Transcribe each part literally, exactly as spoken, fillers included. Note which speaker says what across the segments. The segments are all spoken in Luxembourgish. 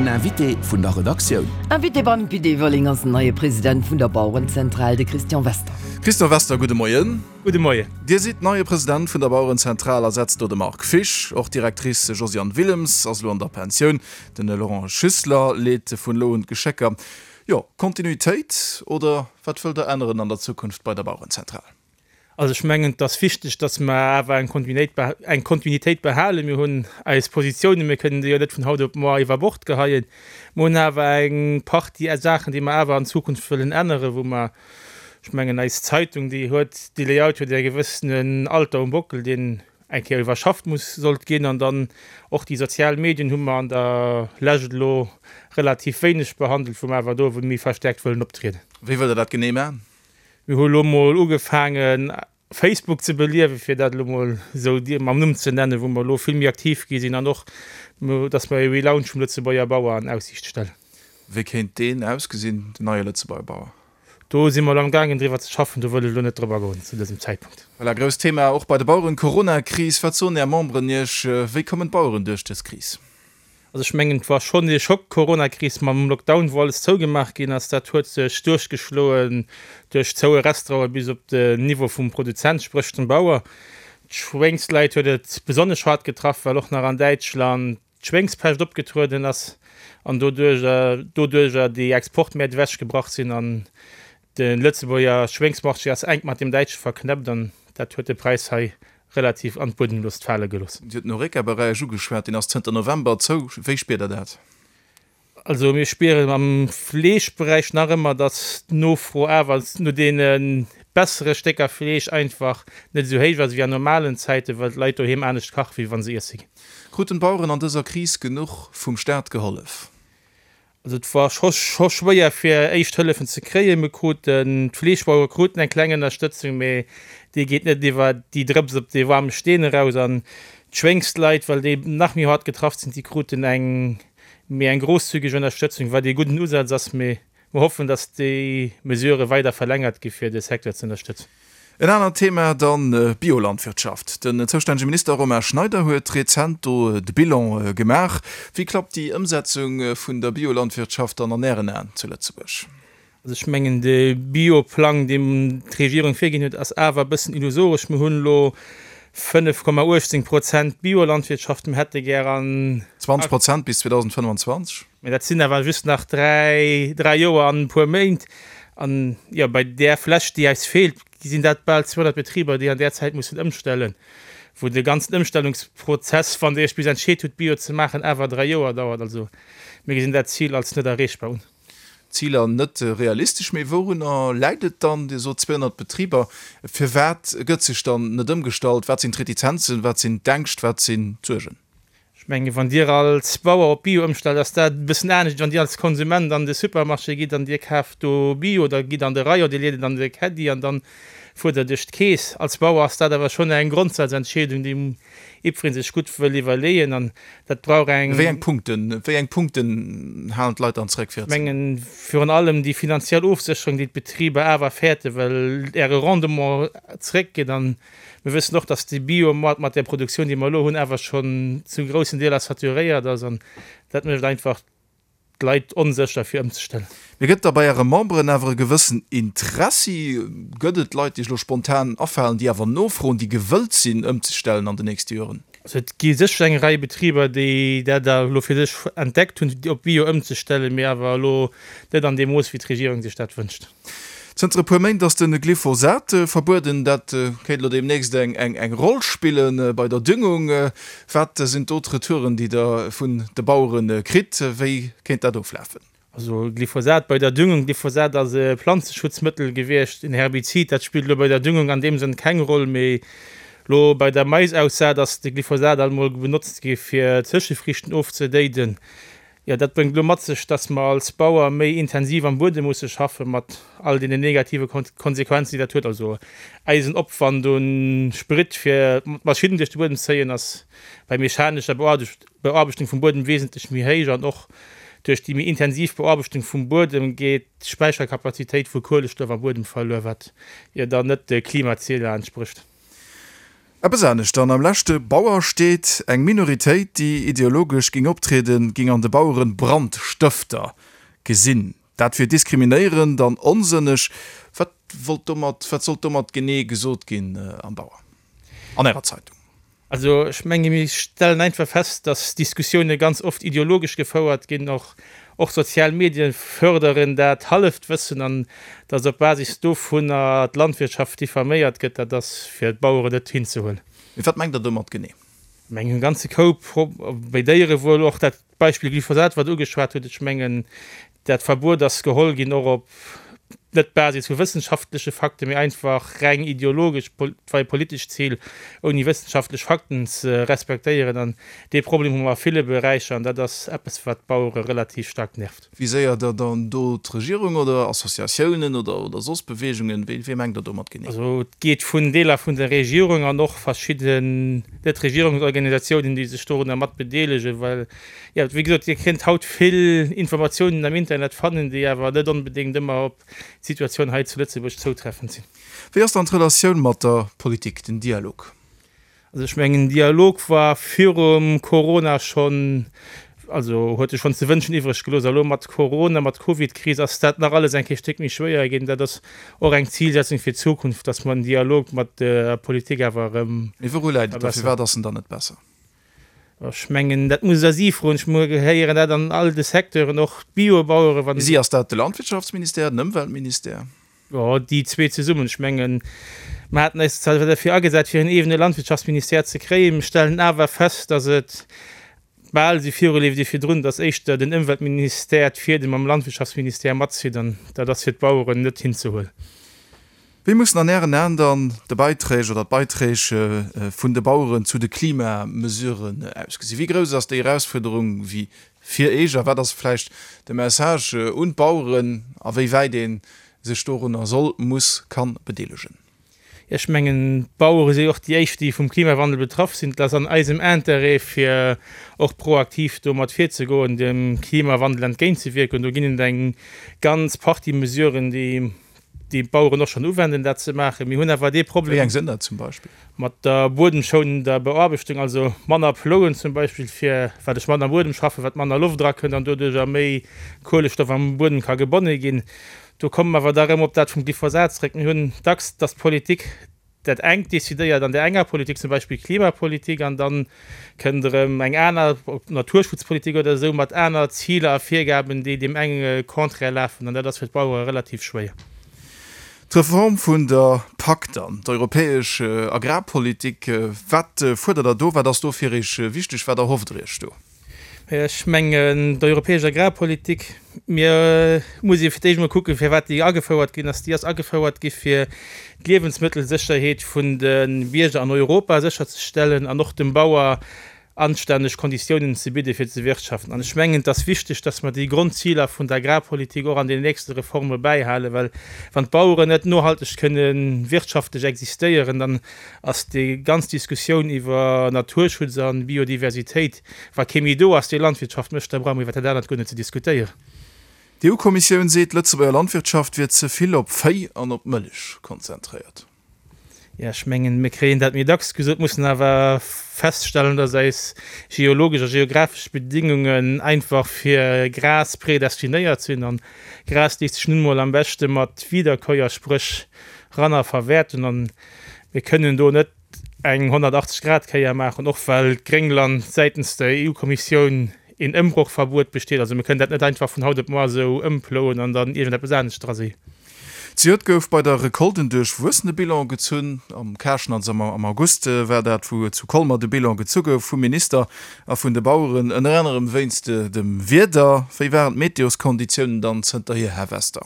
Speaker 1: Den Invité vun der Redaktioun.
Speaker 2: Invité beim Pit Everling ass den neie President vun der Bauerenzentral, de Christian Wester.
Speaker 3: Christian Wester, gudde Moien.
Speaker 4: Gudde Moien.
Speaker 3: Dir sidd neie President vun der Bauerenzentral, ersetzt do de Marc Fisch. Och d'Directrice Josiane Willems ass elo an der Pensioun. Den Laurent Schüssler leet vun elo un d'Geschécker. Jo, Kontinuitéit oder wat wëllt Der änneren an der Zukunft bei der Bauerenzentral?
Speaker 4: Also ech mengen, et ass wichteg, datt mer awer eng Kontinuitéit eng Kontinuitéit behalen. Mir hunn eis Positiounen, mir kënnen déi jo net vun haut op muer iwwer Bord geheien. Mir hunn awer eng Partie Saachen, déi mer awer an Zukunft wëllen änneren, wou mer, ech mengen, eis Zeitung, déi huet, dee Layout huet e gewëssenen Alter um Bockel, deen eng Kéier iwwerschafft muss, sollt ginn. An dann och déi sozial Medien hu mer an der Lescht elo relativ wéineg behandelt, wou mer awer do méi verstärkt wëllen optrieden.
Speaker 3: Wéi wëllt Der dat genee maachen?
Speaker 4: Mir hu lo mol ugefaangen Facebook ze beliewen, fir dat elo mol esou mam Numm ze nennen, wou mer elo vill méi aktiv gi sinn an och, datt mer e Relaunch vum Lëtzebuerger Bauer an Aussiicht stellen.
Speaker 3: Wéi kéint deen ausgesinn, den neie Lëtzebuerger Bauer?
Speaker 4: Do si mer elo am gaangen driwwer ze schaffen, do wëll ech elo net drop agoen zu dësem Zäitpunkt.
Speaker 3: Voilà, grousst Thema och bei de Baueren, d'Corona-Kris. Wat soen Är Memberen Iech, wéi kommen d'Baueren duerch dës Kris?
Speaker 4: Also ech mengen, et war schonn ee Schock, d'Coronakris mam Lockdown, wou alles zougemaach ginn ass. Dat huet sech duerchgeschloen duerch zoue Restauranten bis op den Niveau vum Produzent, spréch dem Bauer. D'Schwéngsleit huet et besonnesch haart getraff, well och nach an Däitschland d'Schwéngspescht opgetrueden ass an doduercher doduercher déi Exportmäert ewechgebrach sinn. An de Lëtzebuerger Schwéngsmarché ass enk mat deem däitsche verknäppt an dat huet de Präis hei relativ an d'Buedemlost fale gelooss.
Speaker 3: Dir hutt den Horeca-Beräich ugeschwat, deen ass zënter November zou. Wéi spiert Der dat?
Speaker 4: Also mir spieren am Fleeschberäich nach ëmmer, datt d'Nofro awer no deene bessere Stécker Fleesch einfach net esou héich ass wéi an normalen Zäiten, well d'Leit doheem anescht kache wéi wa se iesse ginn.
Speaker 3: Kruten d'Baueren an dëser Kris genuch vum Staat gehollef?
Speaker 4: Also et war scho scho schwéier fir éischt Hëllefen ze kréien. Mir kruten, d'Fleeschbauere kruten eng kleng Ënnerstëtzung, mee déi geet net iwwer déi Drëps op dee waarme Steen eraus. An d'Schwéngsleit, well déi nach méi haart getraff sinn, déi kruten eng méi eng grosszügeg Ënnerstëtzung, wat ee gudden Usaz ass. Mee mer hoffen, datt déi Mesurë weider verlängert gi fir de Secteur ze ënnerstëtzen.
Speaker 3: En anert Thema dann, Biolandwirtschaft. Den zoustännege Minister Romain Schneider huet rezent do de Bilan gemaach. Wéi klappt déi Ëmsetzung vun der Biolandwirtschaft dann an Ären Aen zu Lëtzebuerg?
Speaker 4: Also ech mengen, de Bioplang, deen d'Regierung virginn huet, ass awer e bëssen illusoresch. Mir hunn elo fënnef Komma uechtzéng Prozent Biolandwirtschaft, mir hätte gär an.
Speaker 3: Zwanzeg Prozent bis zweedausendfënnwanzwanzeg.
Speaker 4: Mä dat sinn awer just nach dräi, dräi Joer an e puer Méint. An, jo, bei där Fläch, déi eis feelt, sinn dat bal zweehonnert Betriber, déi an där Zäit mussen ëmstellen, wou de ganzen Ëmstellungsprozess, wann Der Iech bis entscheet hutt, Bio ze maachen, awer dräi Joer dauert. Also mir gesinn dat Zil als net erreechbar un.
Speaker 3: Ziler net realistesch. Mee wourunner läit et dann? Dir sot zweehonnert Betriber. Firwat gëtt sech dann net ëmgestallt? Wat sinn d'Retizenzen? Wat sinn d'Ängscht? Wat sinn d'Suergen?
Speaker 4: Ech mengen, wann Dir als Bauer op Bio ëmstellt, ass dat e bëssen anescht, wéi wann Dir als Konsument an de Supermarché gitt an Dir kaaft do Bio oder gitt an de Rayon, Dir leet et an de Caddie an dann fuert Der duerch d'Keess. Als Bauer ass dat awer schonn eng Grondsazentscheedung, déi jiddweree sech gutt wëll iwwerleeën an dat brauch eng.
Speaker 3: Wéi eng Punkten, wéi eng Punkten halen d'Leit dann zréck fir
Speaker 4: Ech mengen, virun allem déi finanziell Ofsécherung, déi d'Betriber awer fäerten, well äre Rendement zréckgeet an Mir wëssen och, dass de Biomoart mat där Produktioun, déi mer elo hunn, awer schonn zu groussen Deeler saturéiert ass an dat mécht einfach d'Leit onsécher, fir ëmzestellen.
Speaker 3: Mee gëtt da bei Äre Memberen awer e gewëssen Interessi? Gëtt et Leit, déi iech elo spontan afalen, déi awer nofroen, déi gewëllt sinn, ëmzestellen an den nächste Joren?
Speaker 4: Also et gi sécher eng Rei Betriber, déi dat elo fir sech entdeckt hunn, op Bio ëmzestellen, mee awer elo net an deem Mooss, wéi d'Regierung sech dat wënscht.
Speaker 3: Zënter e puer Méint ass de Glyphosat verbueden. Dat kéint elo deemnächst eng Roll spille bei der Düngung. Wat sinn do d'Retouren, déi Der vun de Bauere kritt? Wéi kéint dat oflafen?
Speaker 4: Also Glyphosat bei der Düngung, Glyphosat ass e Planzeschutzmëttel gewiescht, en Herbizid. Dat spillt elo bei der Düngung an deem Sënn keng Roll. Mee elo bei der Maisaussaat ass de Glyphosat alt mol benotzt gi fir Zëschefriichten ofzedéiden. Jo, dat bréngt elo mat sech, dass mer als Bauer méi intensiv am Buedem musse schaffen, mat all deenen negative Konsequenzen, déi dat huet. Also eisen Opwand u Sprit, fir d'Maschinnen duerch de Buedem ze zéien, ass bei mechanescher Bearbechtung vum Buedem wesentlech méi héich. An och duerch déi méi intensiv Bearbechtung vum Buedem geet d'Späicherkapazitéit vu Kuelestoff am Buedem verluer, wat jo dann net de Klimazieler entsprécht.
Speaker 3: Eppes anescht dann, Am leschte Bauer steet, eng Minoritéit, déi ideologesch géing optrieden, géing an de Baueren Brandstëfter gesinn. Dat wier diskriminéierend an onsënneg. Wat wollt domat, wat sollt domat genee gesot ginn am Bauer, an Ärer Zeitung?
Speaker 4: Also ech menge mir stellen einfach fest, dass Diskussioune ganz oft ideologesch gefouert ginn, och och sozial Medien förderen dat halleft Wëssen an dass op Basis dovunner d'Landwirtschaft diffaméiert gëtt, dat ass fir d'Baueren net hinzehuelen.
Speaker 3: Mee wat mengt Der domat genee?
Speaker 4: Ech mengen e ganze Koup, bei Déierewuel, och dat Beispill Glyphosat, wat Der ugeschwat hutt, ech mengen dat Verbuet ass geholl ginn och op net Basis vu wëssenschaftleche Fakten, mee einfach reng ideologesch, war e politescht Zil, ouni wëssenschaftlech Fakten ze respektéieren. An dee Problem hu mer a ville Beräicher an dat ass eppes, wat d'Bauere relativ staark nervt.
Speaker 3: Viséiert Der dann do d'Regierung oder Associatiounen oder oder soss Beweegungen? Wee wee mengt Der domat genee?
Speaker 4: Also et geet vun Deeler vun der Regierung an och verschidden Net-Regierungsorganisatiounen, déi sech dorunner mat bedeelegen, well, jo, wéi gesot, Dir kënnt haut vill Informatiounen am Internet fannen, déi awer net onbedéngt ëmmer op d'Situatioun hei zu Lëtzebuerg zoutreffend sinn.
Speaker 3: Wéi ass dann d'Relatioun mat der Politik, den Dialog?
Speaker 4: Also ech mengen, den Dialog war virum Corona schonn, also huet e schonn ze wënschen iwwreg gelooss. A lo mat Corona, mat Covid-Kris ass dat nach alles eng Kéier Stéck méi schwéier ginn. Dat ass och eng Zilsetzung fir d'Zukunft, datt mer den Dialog mat der Politik awer erëm
Speaker 3: Mee wouru läit et da?
Speaker 4: verbessern.
Speaker 3: Firwat ass en dann net besser?
Speaker 4: Ech mengen, dat musst Der si froen. Ech héieren dat an all de Secteuren, och d'Biobauere wann.
Speaker 3: Si, ass dat de Landwirtschaftsministère, den Ëmweltministère?
Speaker 4: Jo, déi zwee zesummen. Ech mengen, mer haten eis zwar derfir agesat, fir en eegene Landwirtschaftsministère ze kréien, mer stellen awer fest, datt et bal esou viruleeft wéi virdrun, datt éischter den Ëmweltministère d'Fiedem mam Landwirtschaftsministère matzitt, an dat ass fir d'Baueren net hinzehuelen.
Speaker 3: Wéi mussen an Ären Aen dann de Beiträg oder d'Beiträg vun de Baueren zu de Klimamesuren ausgesinn? Wéi grouss ass déi Erausfuerderung wéi fir Eech a wat ass vläicht de Message un d'Baueren, a wéi wäit ee sech dorunner soll, muss, kann bedeelegen?
Speaker 4: Ech mengen, d'Bauere si jo och déi éischt, déi vum Klimawandel betraff sinn. Et ass an eisem Intérêt, fir och proaktiv domat virzegoen, dem Klimawandel entgéintzewierken. Do ginn et eng ganz Partie Mesuren, déi déi d'Baueren och schonn uwenden, dat ze maachen. Mir hunn awer dee Problem.
Speaker 3: Wéi eng sinn dat zum Beispill?
Speaker 4: Mat der buedemschounender Bearbechtung, also manner plouen zum Beispill, fir wat ech manner am Buedem schaffen, wat manner Loft erakënnt an doduercher méi Kuelestoff am Buedem ka gebonne ginn. Do komme mer awer da erëm op dat vum Glyphosat zréck. Mir hunn dacks, dass d'Politik dat engt decidéiert an där enger Politik, zum Beispill Klimapolitik, an da kënnt erëm eng aner, ob Naturschutzpolitik oder esou, mat aner Ziler a Virgaben, déi deem enge contraire lafen. An dat ass fir d'Bauere relativ schwéier.
Speaker 3: D'Reform vun der Pak dann, d'europäesch Agrarpolitik, wat fuerdert Der do? Wat ass do fir Iech wichteg? Wat erhofft Der Iech do?
Speaker 4: Ech mengen, d'europäesch Agrarpolitik, mir muss ee fir d'éischt emol kucken, firwat déi agefouert ginn ass. Déi ass agefouert gi fir d'Liewensmëttelsécherheet vun de Bierger an Europa sécherzestellen an och dem Bauer anstänneg Konditiounen ze bidde fir ze wirtschaften. An ech mengen, et ass wichteg, dass mer déi Grondziler vun der Agrarpolitik och an den nächste Reforme bäihalen, well wann d'Baueren net nohalteg kënne wirtschaftlech existéieren, dann ass déi ganz Diskussioun iwwer Naturschutz a Biodiversitéit, wa kee méi do ass, dee Landwirtschaft mécht, da brauche mer iwwer dat anert guer net ze diskutéieren.
Speaker 3: D'EU-Kommissioun seet, d'Lëtzebuerger Landwirtschaft wier ze vill op Véi an op Mëllech konzentréiert.
Speaker 4: Jo, ech mengen, mir kréien dat méi dacks gesot, mussen awer feststellen, dass eis geologesch a geographesch Bedingungen einfach fir Gras predestinéiert sinn. An Gras léisst sech nun emol am beschte mat Wiederkäuer, spréch Ranner, verwäerten. An mir kënnen do net eng honnertachtzeg Grad Kéier maachen, och well d'Gréngland säitens der EU-Kommissioun een Ëmbrochverbuet besteet. Also mir kënnen dat net einfach vun haut op muer esou ëmplouen an dann iergendeppes anescht dra si.
Speaker 3: Zejoert gouf bei der Recolte en duerchwuessene Bilan gezunn. Am Käschen, also am August war dat, wou zu Colmer de Bilan gezu gouf vum Minister a vun de Baueren, ënner anerem wéinst dem Wieder. Wéi waren d'Meteoskonditiounen dann zënterhier, Här Wester?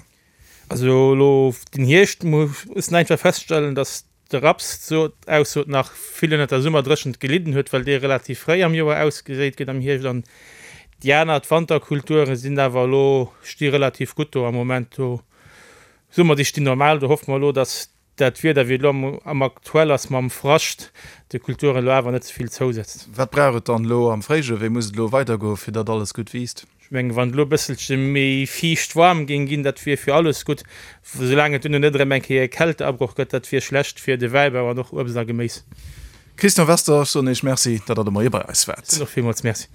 Speaker 4: Also elo den Hierscht muss een einfach feststellen, datt de Raps d'Aussot nach vill ënnert der Summerdréchent gelidden huet, well dee relativ fréi am Joer ausgeséit gëtt am Hierscht. An déi aner, d'Wanterkulture sinn awer elo, sti relativ gutt do am Moment. Do soe mer, déi stinn normal. Do hoffe mer elo, datt dat Wieder, wéi et elo am aktuell ass mam Frascht, de Kulturen elo awer net ze vill zousetzt.
Speaker 3: Wat brauch et dann elo am Fréijoer? Wéi muss et elo weidergoen, fir datt alles gutt wiisst?
Speaker 4: Ech mengen, wann et elo e bësselche méi fiicht waarm géing ginn, dat wier fir alles gutt. Soulaang et duerno net erëm eng Kéier e Kälteabroch gëtt, dat wier schlecht fir de Wäibau an och Uebst a Geméis.
Speaker 3: Christian Wester, ech soen Iech Merci, datt Der de Moie bei eis waart.
Speaker 4: Ech soen och villmools Merci.